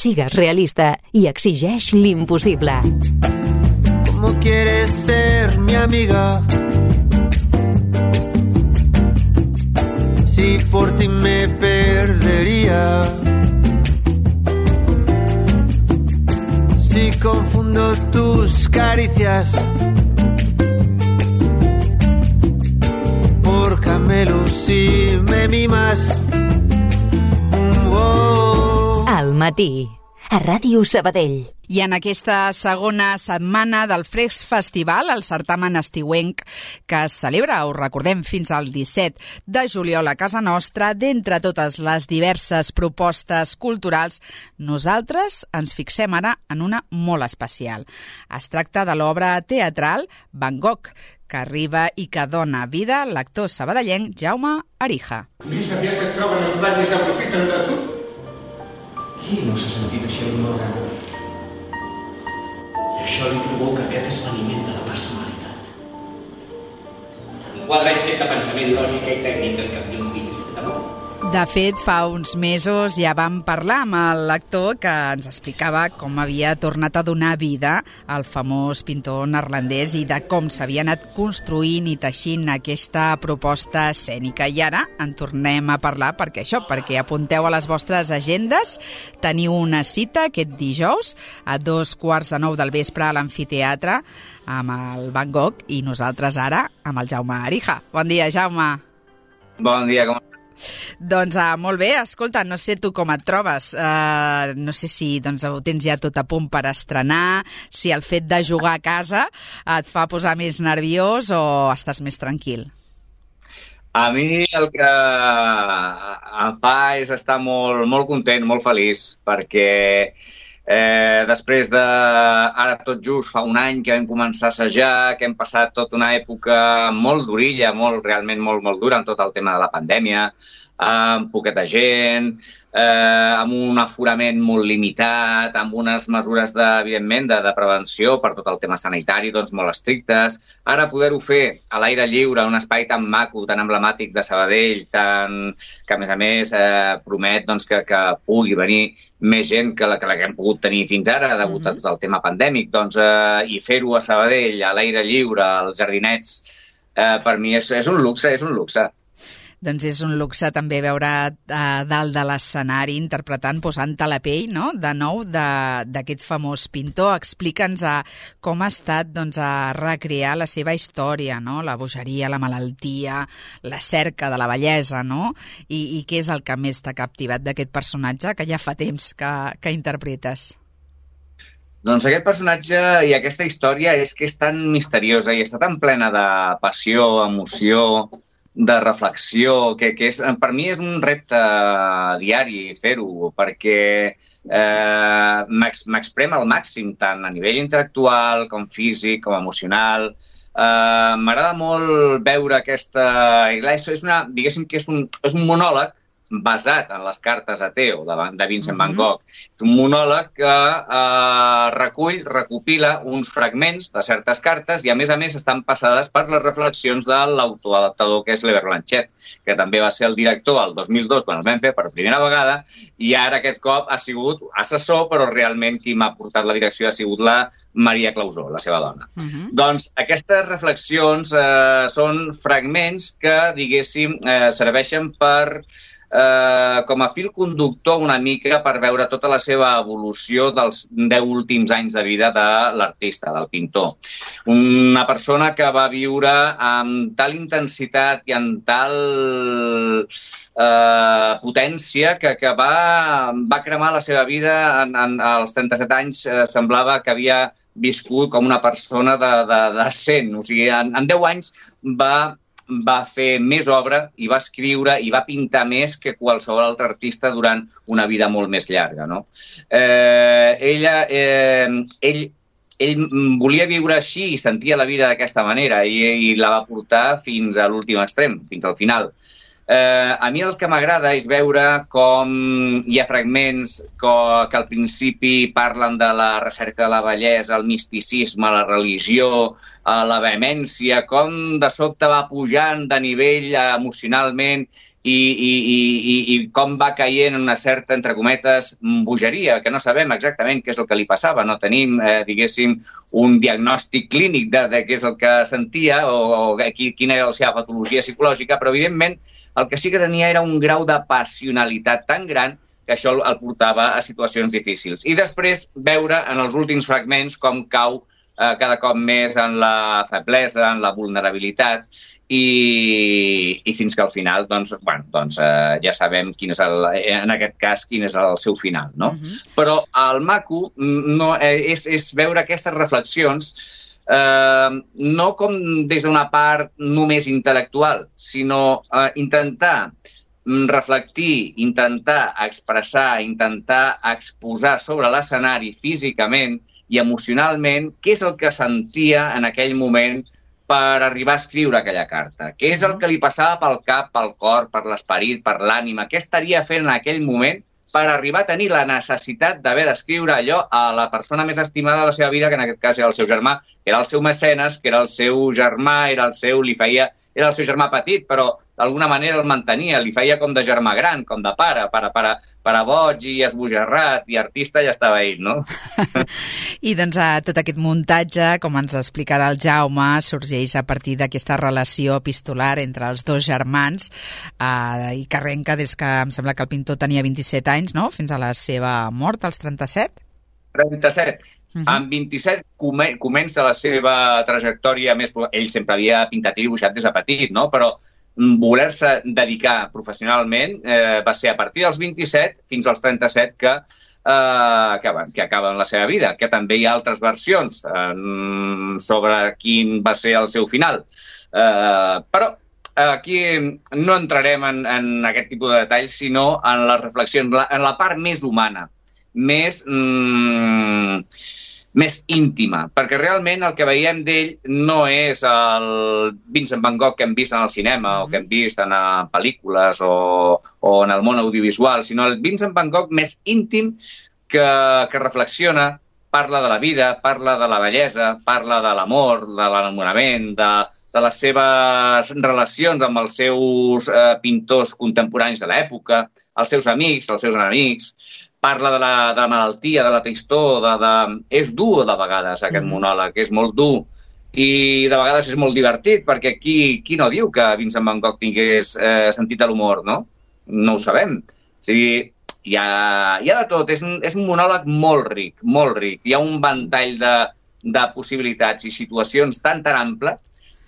Sigues realista i exigeix l'impossible. ¿Cómo quieres ser mi amiga? Si por ti me perdería. Si confundo tus caricias por camelos y me mimas. Al matí, a Ràdio Sabadell. I en aquesta segona setmana del Fresc Festival, el certamen estiuenc que es celebra, ho recordem, fins al 17 de juliol a casa nostra, d'entre totes les diverses propostes culturals, nosaltres ens fixem ara en una molt especial. Es tracta de l'obra teatral Van Gogh, que arriba i que dona vida a l'actor sabadellenc Jaume Arija. Més aviat et troben els plans i s'aprofiten de tu? Qui no s'ha sentit així alguna vegada? I això li provoca aquest esvaniment de la personalitat. Un quadre és fet de pensament, lògica i tècnica, en cap d'un fill és fet d'amor. De fet, fa uns mesos ja vam parlar amb l'actor que ens explicava com havia tornat a donar vida al famós pintor neerlandès i de com s'havia anat construint i teixint aquesta proposta escènica. I ara en tornem a parlar perquè apunteu a les vostres agendes. Teniu una cita aquest dijous a 8:45 del vespre a l'amfiteatre amb el Van Gogh i nosaltres ara amb el Jaume Arija. Bon dia, Jaume. Bon dia, com estàs? Doncs molt bé, escolta, no sé tu com et trobes, no sé si ho tens ja tot a punt per estrenar, si el fet de jugar a casa et fa posar més nerviós o estàs més tranquil? A mi el que em fa és estar molt content, molt feliç, perquè després de, ara tot just fa un any que vam començar a assajar, que hem passat tota una època molt durilla, realment molt dura en tot el tema de la pandèmia, amb poqueta gent, amb un aforament molt limitat, amb unes mesures, evidentment, de prevenció per tot el tema sanitari, doncs molt estrictes. Ara poder-ho fer a l'aire lliure, en un espai tan maco, tan emblemàtic de Sabadell, que a més promet que pugui venir més gent que la que hem pogut tenir fins ara, degut a tot el tema pandèmic, i fer-ho a Sabadell, a l'aire lliure, als jardinets, per mi és un luxe, és un luxe. Doncs és un luxe també veure a dalt de l'escenari interpretant, posant-te la pell, no?, de nou d'aquest famós pintor. Explica'ns com ha estat a recrear la seva història, no?, la bogeria, la malaltia, la cerca de la bellesa, no?, i què és el que més t'ha captivat d'aquest personatge que ja fa temps que interpretes? Doncs aquest personatge i aquesta història és que és tan misteriosa i està tan plena de passió, emoció, de reflexió, que per mi és un repte diari fer-ho, perquè m'exprem al màxim, tant a nivell intel·lectual com físic, com emocional. M'agrada molt veure aquesta... Diguéssim que és un monòleg basat en les cartes a Theo de Vincent Van Gogh. És un monòleg que recopila uns fragments de certes cartes i, a més, estan passades per les reflexions de l'autor adaptador, que és l'Eber Blanchet, que també va ser el director el 2002, quan el vam fer per primera vegada, i ara aquest cop ha sigut assessor, però realment qui m'ha portat la direcció ha sigut la Maria Clausó, la seva dona. Doncs aquestes reflexions són fragments que, diguéssim, serveixen per com a fil conductor una mica per veure tota la seva evolució dels 10 últims anys de vida de l'artista, del pintor. Una persona que va viure amb tal intensitat i amb tal potència que va cremar la seva vida als 37 anys. Semblava que havia viscut com una persona de 100. O sigui, en 10 anys va fer més obra i va escriure i va pintar més que qualsevol altre artista durant una vida molt més llarga, no? Ell volia viure així i sentia la vida d'aquesta manera i la va portar fins a l'últim extrem, fins al final. A mi el que m'agrada és veure com hi ha fragments que al principi parlen de la recerca de la bellesa, el misticisme, la religió, la vehemència, com de sobte va pujant de nivell emocionalment i com va caient en una certa, entre cometes, bogeria, que no sabem exactament què és el que li passava. No tenim, diguéssim, un diagnòstic clínic de què és el que sentia o quina era la seva patologia psicològica, però, evidentment, el que sí que tenia era un grau de passionalitat tan gran que això el portava a situacions difícils. I després veure en els últims fragments com cau cada cop més en la feblesa, en la vulnerabilitat i fins que al final ja sabem quin és en aquest cas quin és el seu final, no? Però el maco és veure aquestes reflexions no com des d'una part només intel·lectual, sinó intentar reflectir, intentar expressar, intentar exposar sobre l'escenari físicament i emocionalment què és el que sentia en aquell moment per arribar a escriure aquella carta. Què és el que li passava pel cap, pel cor, per l'esperit, per l'ànima? Què estaria fent en aquell moment per arribar a tenir la necessitat d'haver d'escriure allò a la persona més estimada de la seva vida, que en aquest cas era el seu germà, que era el seu mecenes, que era el seu germà, era el seu germà petit, però d'alguna manera el mantenia, li feia com de germà gran, com de pare boig i esbojarrat, i artista ja estava ell, no? I doncs tot aquest muntatge, com ens explicarà el Jaume, sorgeix a partir d'aquesta relació epistolar entre els dos germans i que arrenca des que em sembla que el pintor tenia 27 anys, no? Fins a la seva mort, als 37? 37. Amb 27 comença la seva trajectòria més... Ell sempre havia pintat i dibuixat des de petit, no? Però voler-se dedicar professionalment va ser a partir dels 27 fins als 37 que acaben la seva vida, que també hi ha altres versions sobre quin va ser el seu final. Però aquí no entrarem en aquest tipus de detalls, sinó en les reflexions, en la part més humana, més íntima, perquè realment el que veiem d'ell no és el Vincent van Gogh que hem vist en el cinema o que hem vist en pel·lícules o en el món audiovisual, sinó el Vincent van Gogh més íntim que reflexiona, parla de la vida, parla de la bellesa, parla de l'amor, de l'enamorament, de les seves relacions amb els seus pintors contemporanis de l'època, els seus amics, els seus enemics. Parla de la malaltia, de la tristor, és dur de vegades aquest monòleg, és molt dur i de vegades és molt divertit, perquè qui no diu que Vincent van Gogh tingués sentit de l'humor, no? No ho sabem. O sigui, hi ha de tot, és un monòleg molt ric, molt ric. Hi ha un ventall de possibilitats i situacions tan ample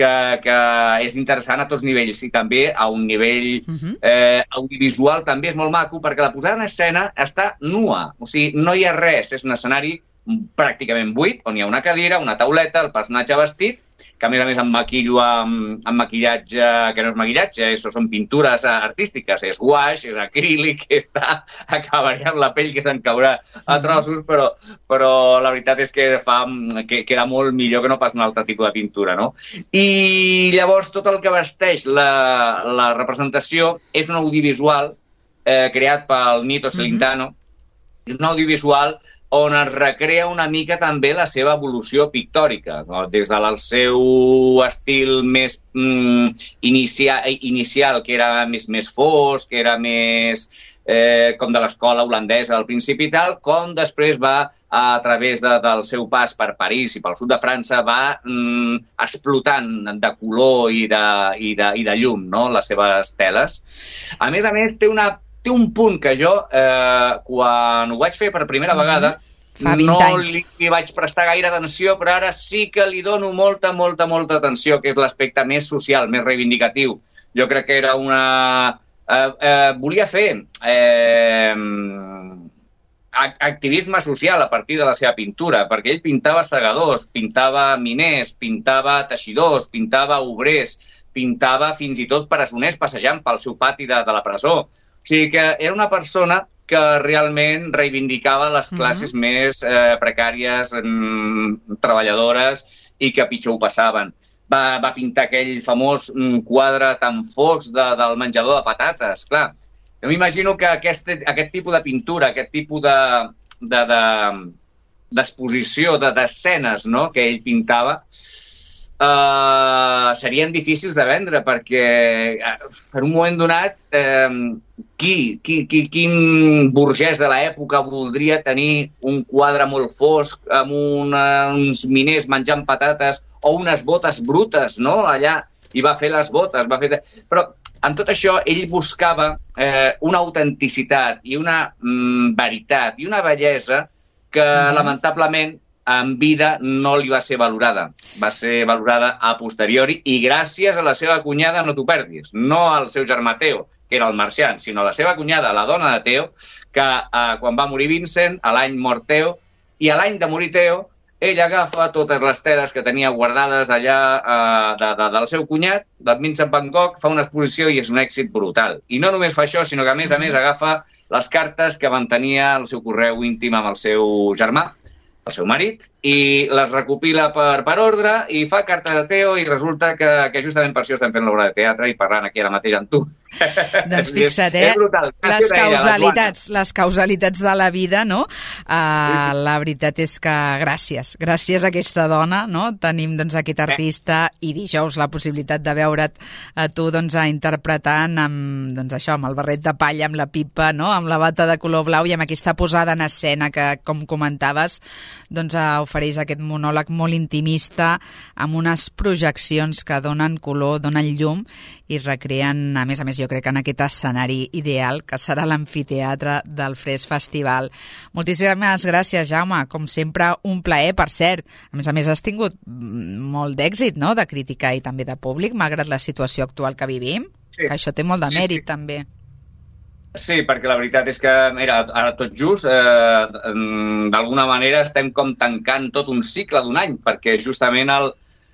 que és interessant a tots nivells i també a un nivell audiovisual també és molt maco perquè la posada en escena està nua, o sigui, no hi ha res, és un escenari pràcticament buit, on hi ha una cadira, una tauleta, el personatge vestit, que a més em maquillo amb maquillatge que no és maquillatge, són pintures artístiques, és guaix, és acrílic, acabaré amb la pell que se'n caurà a trossos, però la veritat és que queda molt millor que no pas un altre tipus de pintura, no? I llavors tot el que vesteix la representació és un audiovisual creat pel Nito Celentano, és un audiovisual on es recrea una mica també la seva evolució pictòrica, no? Des del seu estil més inicial, que era més fosc, que era més com de l'escola holandesa al principi i tal, com després va, a través del seu pas per París i pel sud de França, va explotant de color i de llum, no? Les seves teles. A més, té un punt que jo, quan ho vaig fer per primera vegada, no li vaig prestar gaire atenció, però ara sí que li dono molta atenció, que és l'aspecte més social, més reivindicatiu. Jo crec que era volia fer activisme social a partir de la seva pintura, perquè ell pintava segadors, pintava miners, pintava teixidors, pintava obrers, pintava fins i tot presoners passejant pel seu pati de la presó. O sigui que era una persona que realment reivindicava les classes més precàries, treballadores i que pitjor ho passaven. Va pintar aquell famós quadre tan fosc del menjador de patates. Clar, jo m'imagino que aquest tipus de pintura, aquest tipus d'exposició, d'escenes que ell pintava, serien difícils de vendre, perquè en un moment donat quin burgès de l'època voldria tenir un quadre molt fosc amb uns miners menjant patates o unes botes brutes, no? Allà, i va fer les botes, Però amb tot això ell buscava una autenticitat i una veritat i una bellesa que lamentablement en vida no li va ser valorada. Va ser valorada a posteriori i gràcies a la seva cunyada, no t'ho perdis, no al seu germà Teo, que era el marxant, sinó a la seva cunyada, la dona de Teo, que quan va morir Vincent, a l'any mort Teo, i a l'any de morir Teo, ell agafa totes les teles que tenia guardades allà del seu cunyat, del Vincent van Gogh, fa una exposició i és un èxit brutal. I no només fa això, sinó que a més agafa les cartes que mantenia el seu correu íntim amb el seu germà, el seu marit, i les recopila per ordre i fa cartes a Teo i resulta que justament per això estem fent l'obra de teatre i parlant aquí ara mateix amb tu. Doncs fixa't, les causalitats de la vida, no? La veritat és que gràcies a aquesta dona, no? Tenim doncs aquest artista i dijous la possibilitat de veure't a tu doncs interpretant amb el barret de palla, amb la pipa, no? Amb la bata de color blau i amb aquesta posada en escena que, com comentaves, doncs ofereix aquest monòleg molt intimista amb unes projeccions que donen color, donen llum i recreen, a més, jo crec que en aquest escenari ideal que serà l'amfiteatre del Fresc Festival. Moltíssimes gràcies, Jaume. Com sempre, un plaer, per cert. A més, has tingut molt d'èxit, no?, de crítica i també de públic, malgrat la situació actual que vivim, que això té molt de mèrit, també. Sí, perquè la veritat és que, mira, ara tot just, d'alguna manera estem com tancant tot un cicle d'un any, perquè justament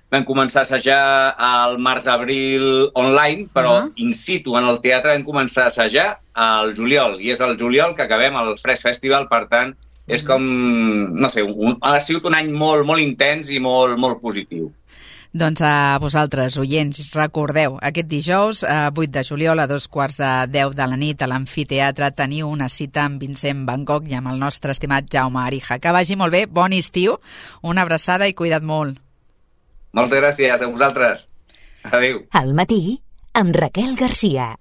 vam començar a assajar al març-abril online, però in situ en el teatre vam començar a assajar al juliol, i és al juliol que acabem el Fresc Festival, per tant, és com, no sé, ha sigut un any molt, molt intens i molt, molt positiu. Doncs a vosaltres, oients, recordeu, aquest dijous, 8 de juliol, a 2:15 de la nit, a l'amfiteatre, teniu una cita amb Vincent van Gogh i amb el nostre estimat Jaume Arija. Que vagi molt bé, bon estiu, una abraçada i cuida't molt. Moltes gràcies a vosaltres. Adéu. Al matí, amb Raquel Garcia.